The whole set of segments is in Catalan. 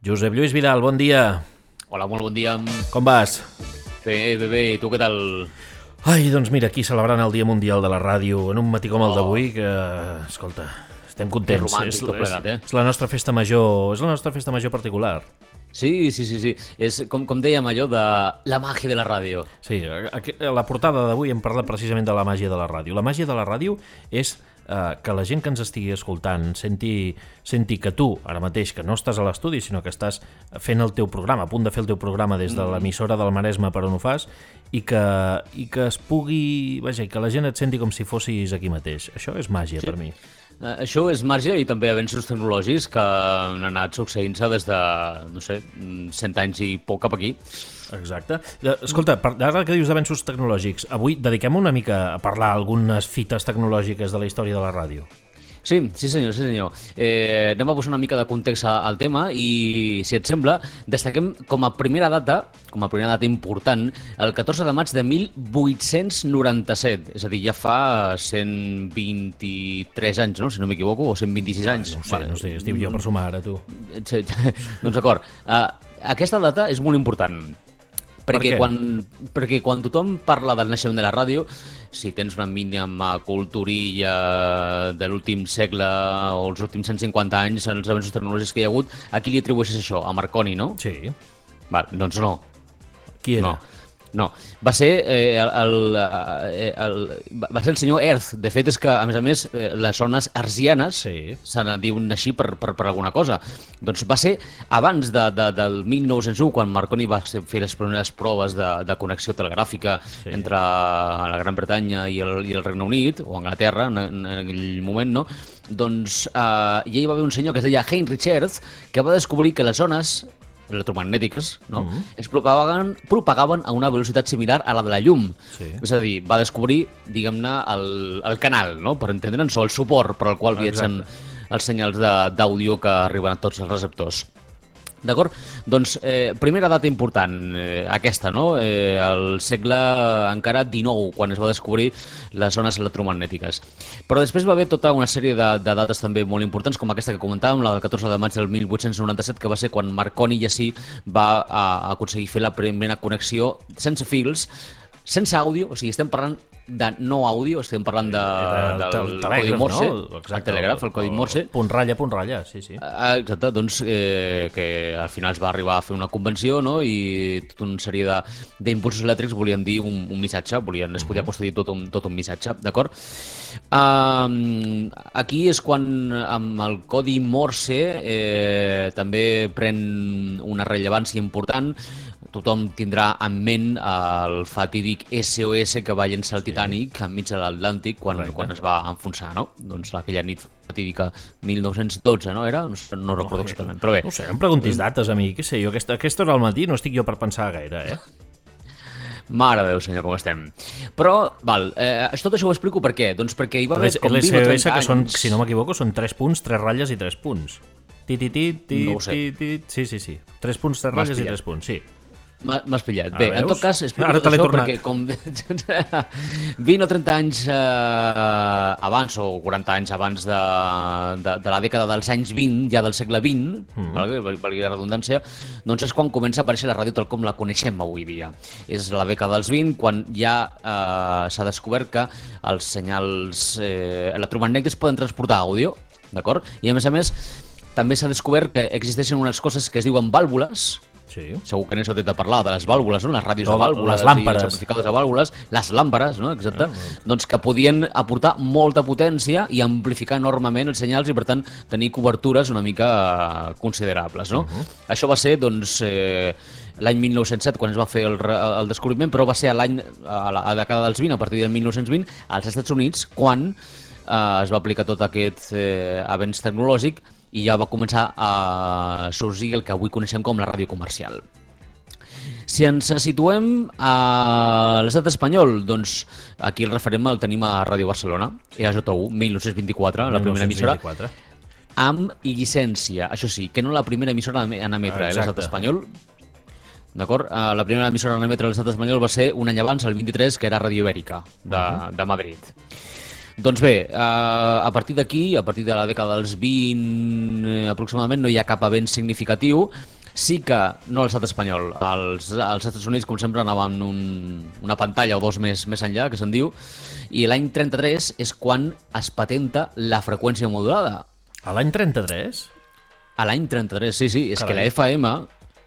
Josep Lluís Vidal, bon dia. Hola, molt bon dia. Com vas? Bé, i tu què tal? Ai, doncs mira, aquí celebrant el Dia Mundial de la Ràdio, en un matí com el d'avui, que, escolta, estem contents. romàntic tot plegat, és la nostra festa major, és la nostra festa major particular. Sí. És com dèiem allò de la màgia de la ràdio. Sí, a la portada d'avui hem parlat precisament de la màgia de la ràdio. La màgia de la ràdio és que la gent que ens estigui escoltant senti que tu, ara mateix, que no estàs a l'estudi, sinó que estàs fent el teu programa, a punt de fer el teu programa des de l'emissora del Maresme per on ho fas, i que es pugui... Vaja, i que la gent et senti com si fossis aquí mateix. Això és màgia per mi. Això és màgia i també avenços tecnològics que han anat succeint-se des de, 100 anys i poc cap aquí. Exacte. Escolta, ara que dius d'avenços tecnològics, avui dediquem una mica a parlar algunes fites tecnològiques de la història de la ràdio. Sí, senyor. Anem a posar una mica de context al tema i, si et sembla, destaquem com a primera data important, el 14 de maig de 1897. És a dir, ja fa 123 anys, no? Si no m'equivoco, o 126 anys. No sé, estic jo per sumar ara, tu. Sí, doncs d'acord. Aquesta data és molt important. Perquè quan tothom parla del naixement de la ràdio, si tens una mínima culturilla de l'últim segle o els últims 150 anys, els avenços tecnològics que hi ha hagut, a qui li atribueixes això? A Marconi, no? Sí. Doncs no. Qui era? No, va ser el senyor Hertz. De fet, és que, a més, les zones hertzianes se n'en diuen així per alguna cosa. Doncs va ser abans del 1901, quan Marconi va fer les primeres proves de connexió telegràfica entre la Gran Bretanya i el Regne Unit, o Anglaterra, en aquell moment, no? Doncs ja hi va haver un senyor que es deia Heinrich Hertz, que va descobrir que les zones electromagnètiques, no? Es propagaven a una velocitat similar a la de la llum. És a dir, va descobrir, diguem-ne, el canal, no? Per entendre'ns, o el suport per al qual viatgen els senyals d'àudio que arriben a tots els receptors. D'acord? Doncs, primera data important, aquesta, no? El segle encara XIX, quan es va descobrir les zones electromagnètiques. Però després va haver tota una sèrie de dates també molt importants, com aquesta que comentàvem, la del 14 de maig del 1897, que va ser quan Marconi ja sí va aconseguir fer la primera connexió sense fils, sense àudio, o sigui, estem parlant de no àudio, estem parlant del codi Morse, el telègraf, el codi Morse. Punt ratlla, sí. Exacte, doncs que al final es va arribar a fer una convenció, no? I tota una sèrie d'impulsos elèctrics volien dir un missatge, es podia posar tot un missatge, d'acord? Aquí és quan amb el codi Morse també pren una rellevància important. Tothom tindrà en ment el fatídic SOS que va llençar el Titanic enmig de l'Atlàntic quan es va enfonsar, no? Doncs aquella nit fatídica 1912, no era? No recordo exactament, però bé. No sé, em preguntis dates a mi, què sé jo, aquesta hora al matí no estic jo per pensar gaire, Mare de Déu, senyor, com estem. Però, tot això ho explico per què? Doncs perquè hi va haver com 20 o 30 anys... que són, si no m'equivoco, són 3 punts, 3 ratlles i 3 punts. No ho sé. Sí. 3 punts, 3 ratlles i 3 punts, sí. M'has pillat. Bé, en tot cas, explico tot això perquè com 20 o 30 anys abans, o 40 anys abans de la dècada dels anys 20, ja del segle XX, valgui la redundància, doncs és quan comença a aparèixer la ràdio tal com la coneixem avui dia. És la dècada dels 20, quan ja s'ha descobert que els senyals electromagnètics poden transportar àudio, d'acord? I a més, també s'ha descobert que existeixen unes coses que es diuen vàlvules. Segur que n'heu sentit a parlar de les vàlvules, no? Les ràdios de vàlvules, les làmperes. I els amplificadors de vàlvules, les làmperes, no? Exacte. Doncs que podien aportar molta potència i amplificar enormement els senyals i, per tant, tenir cobertures una mica considerables, no? Això va ser, doncs, l'any 1907, quan es va fer el descobriment, però va ser a la dècada dels 20, a partir del 1920, als Estats Units, quan es va aplicar tot aquest avenç tecnològic i ja va començar a sorgir el que avui coneixem com la ràdio comercial. Si ens situem a l'estat espanyol, doncs aquí el referent el tenim a Ràdio Barcelona, EAJ1, 1924, la primera emissora, amb llicència, això sí, que no la primera emissora en emetre a l'estat espanyol. D'acord? La primera emissora en emetre a l'estat espanyol va ser un any abans, el 23, que era Ràdio Ibèrica, de Madrid. Doncs bé, a partir d'aquí, a partir de la dècada dels 20 aproximadament, no hi ha cap avenç significatiu, Sí que, no a l'estat espanyol, als Estats Units, com sempre, anaven una pantalla o dos més enllà, que se'n diu, i l'any 33 és quan es patenta la freqüència modulada. A l'any 33? A l'any 33, sí, és Carai. que la FM...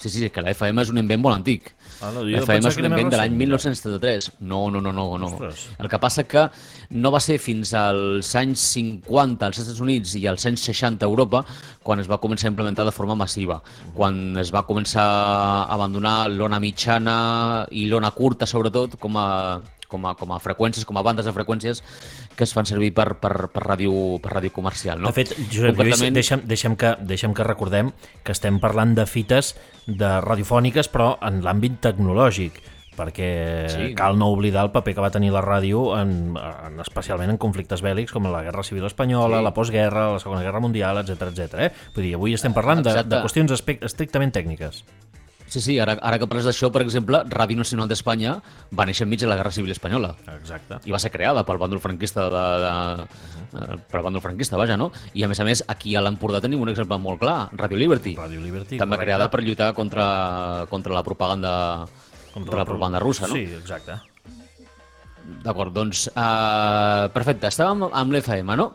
Sí, és que la FM és un invent molt antic. Jo La FM pensava és que un era més invent de l'any recent. 1973. No. Ostres. El que passa que no va ser fins als anys 50 als Estats Units i als anys 60 a Europa quan es va començar a implementar de forma massiva. Quan es va començar a abandonar l'ona mitjana i l'ona curta, sobretot, com a freqüències, com a bandes de freqüències que es fan servir per ràdio comercial. No? De fet, Josep Lluís, deixem que recordem que estem parlant de fites de radiofòniques, però en l'àmbit tecnològic, perquè cal no oblidar el paper que va tenir la ràdio especialment en conflictes bèl·lics com la Guerra Civil Espanyola, la postguerra, la Segona Guerra Mundial, etc. Vull dir, avui estem parlant de qüestions estrictament tècniques. Sí, ara que parles d'això, per exemple, Ràdio Nacional d'Espanya va néixer enmig de la Guerra Civil Espanyola. Exacte. I va ser creada pel bàndol franquista, pel bàndol franquista, vaja, no? I a més, aquí a l'Empordà tenim un exemple molt clar, Radio Liberty. Radio Liberty, també correcte. creada per lluitar contra la propaganda russa, no? Sí, exacte. D'acord, doncs, perfecte, estàvem amb l'FM, no?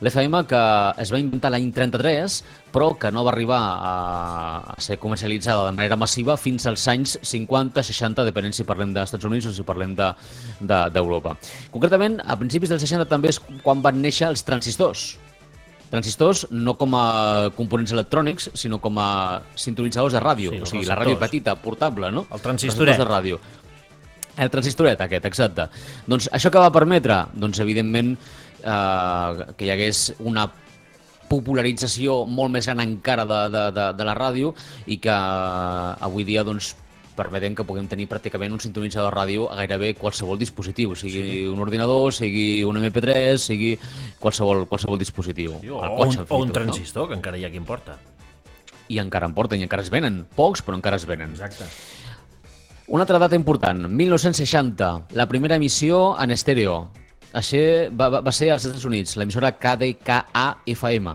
L'FM que es va inventar l'any 33, però que no va arribar a ser comercialitzada de manera massiva fins als anys 50-60, depenent si parlem dels Estats Units o si parlem d'Europa. Concretament, a principis dels 60 també és quan van néixer els transistors. Transistors no com a components electrònics, sinó com a sintonitzadors de ràdio, Sí, o sigui, la ràdio petita, portable, no? El transistoret. De ràdio. El transistoret aquest, exacte. Doncs això que va permetre, doncs evidentment, que hi hagués una popularització molt més gran encara de la ràdio i que avui dia doncs, permetem que puguem tenir pràcticament un sintonitzador de ràdio a gairebé qualsevol dispositiu, sigui un ordinador, sigui un MP3, sigui qualsevol dispositiu. O un transistor, que encara hi ha qui en porta. I encara en porten, i encara es venen. Pocs, però encara es venen. Exacte. Una altra data important, 1960, la primera emissió en estèreo. Això va ser als Estats Units, l'emissora KDKA-FM.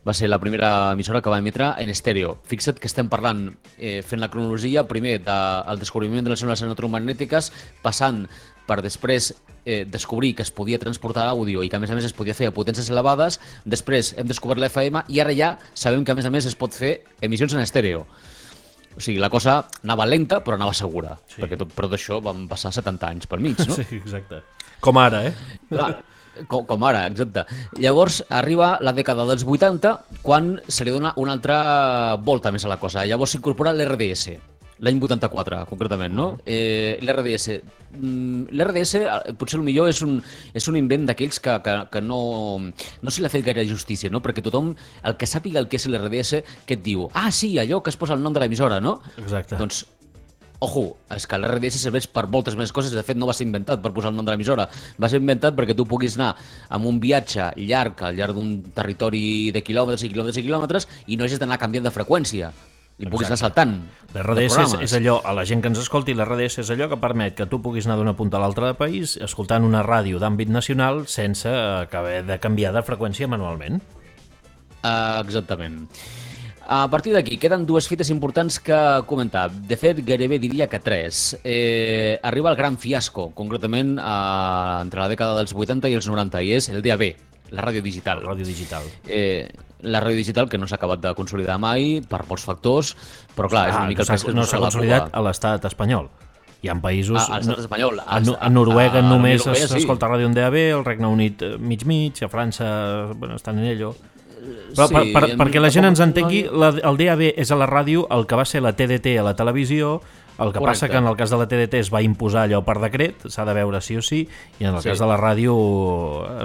Va ser la primera emissora que va emetre en estèreo. Fixa't que estem parlant, fent la cronologia, primer del descobriment de les ones electromagnètiques, passant per després descobrir que es podia transportar àudio i que a més es podia fer a potències elevades, després hem descobert l'FM i ara ja sabem que a més es pot fer emissions en estèreo. O sigui, la cosa anava lenta, però anava segura, perquè tot això van passar 70 anys pel mig, no? Sí, exacte. Com ara, Clar, com ara, exacte. Llavors arriba la dècada dels 80, quan se li dona una altra volta més a la cosa. Llavors s'incorpora l'RDS, l'any 84, concretament, no? L'RDS. L'RDS, potser millor és un invent d'aquells que no se li ha fet gaire justícia, no? Perquè tothom, el que sàpiga el que és l'RDS, que et diu, sí, allò que es posa el nom de l'emissora, no? Exacte. Doncs, ojo, és que l'RDS serveix per moltes més coses. De fet, no va ser inventat per posar el nom de l'emissora. Va ser inventat perquè tu puguis anar amb un viatge llarg, al llarg d'un territori de quilòmetres i quilòmetres i quilòmetres, i no hagis d'anar canviant de freqüència. I puguis anar saltant. L'RDS és allò, a la gent que ens escolti, l'RDS és allò que permet que tu puguis anar d'una punta a l'altra del país escoltant una ràdio d'àmbit nacional sense haver de canviar de freqüència manualment. Exactament. A partir d'aquí, queden dues fites importants que comentar. De fet, gairebé diria que tres. Arriba el gran fiasco, concretament entre la dècada dels 80 i els 90, i és el DAB, la ràdio digital. La ràdio digital. La ràdio digital, que no s'ha acabat de consolidar mai, per molts factors, però clar, és una mica el pes que no s'ha consolidat a l'estat espanyol. Hi ha països... A l'estat espanyol. A Noruega només s'escolta ràdio en DAB, al Regne Unit mig, a França estan en ello... Però perquè la gent ens entengui, el DAB és a la ràdio el que va ser la TDT a la televisió. El que passa que en el cas de la TDT es va imposar allò per decret, s'ha de veure sí o sí, i en el cas de la ràdio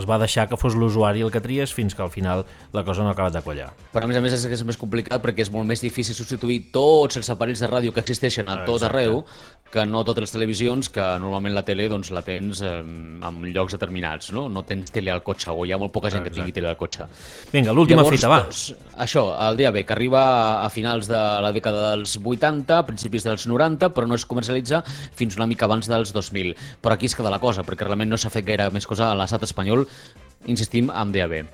es va deixar que fos l'usuari el que tries fins que al final la cosa no ha acabat de quallar. Però a més és més complicat perquè és molt més difícil substituir tots els aparells de ràdio que existeixen a tot arreu que no totes les televisions, que normalment la tele doncs, la tens en llocs determinats, no? No tens tele al cotxe, o hi ha molt poca gent que tingui tele al cotxe. Vinga, l'última fita, va. Doncs, això, el DAB, que arriba a finals de la dècada dels 80, principis dels 90, però no es comercialitza fins una mica abans dels 2000. Però aquí es queda la cosa, perquè realment no s'ha fet gaire més cosa a l'estat espanyol, insistim, amb DAB.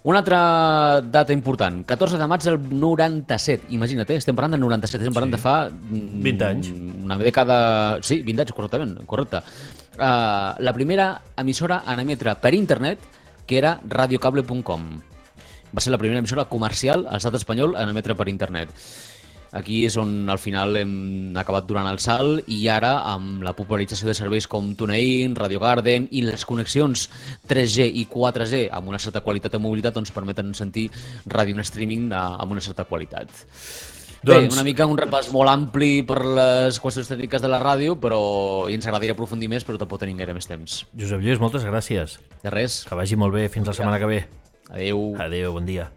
Una altra data important, 14 de maig del 97, imagina't, estem parlant del 97, estem parlant de fa... 20 anys. Una dècada... Sí, 20 anys, correcte. La primera emissora en emetre per internet, que era radiocable.com. Va ser la primera emissora comercial a l'estat espanyol en emetre per internet. Aquí és on al final hem acabat donant el salt i ara amb la popularització de serveis com TuneIn, Radio Garden i les connexions 3G i 4G amb una certa qualitat de mobilitat doncs permeten sentir ràdio en streaming amb una certa qualitat. Bé, una mica un repàs molt ampli per les qüestions tècniques de la ràdio, però ens agradaria aprofundir més, però tampoc tenim gaire més temps. Josep Lluís, moltes gràcies. De res. Que vagi molt bé. Fins la setmana que ve. Adéu. Adéu, bon dia.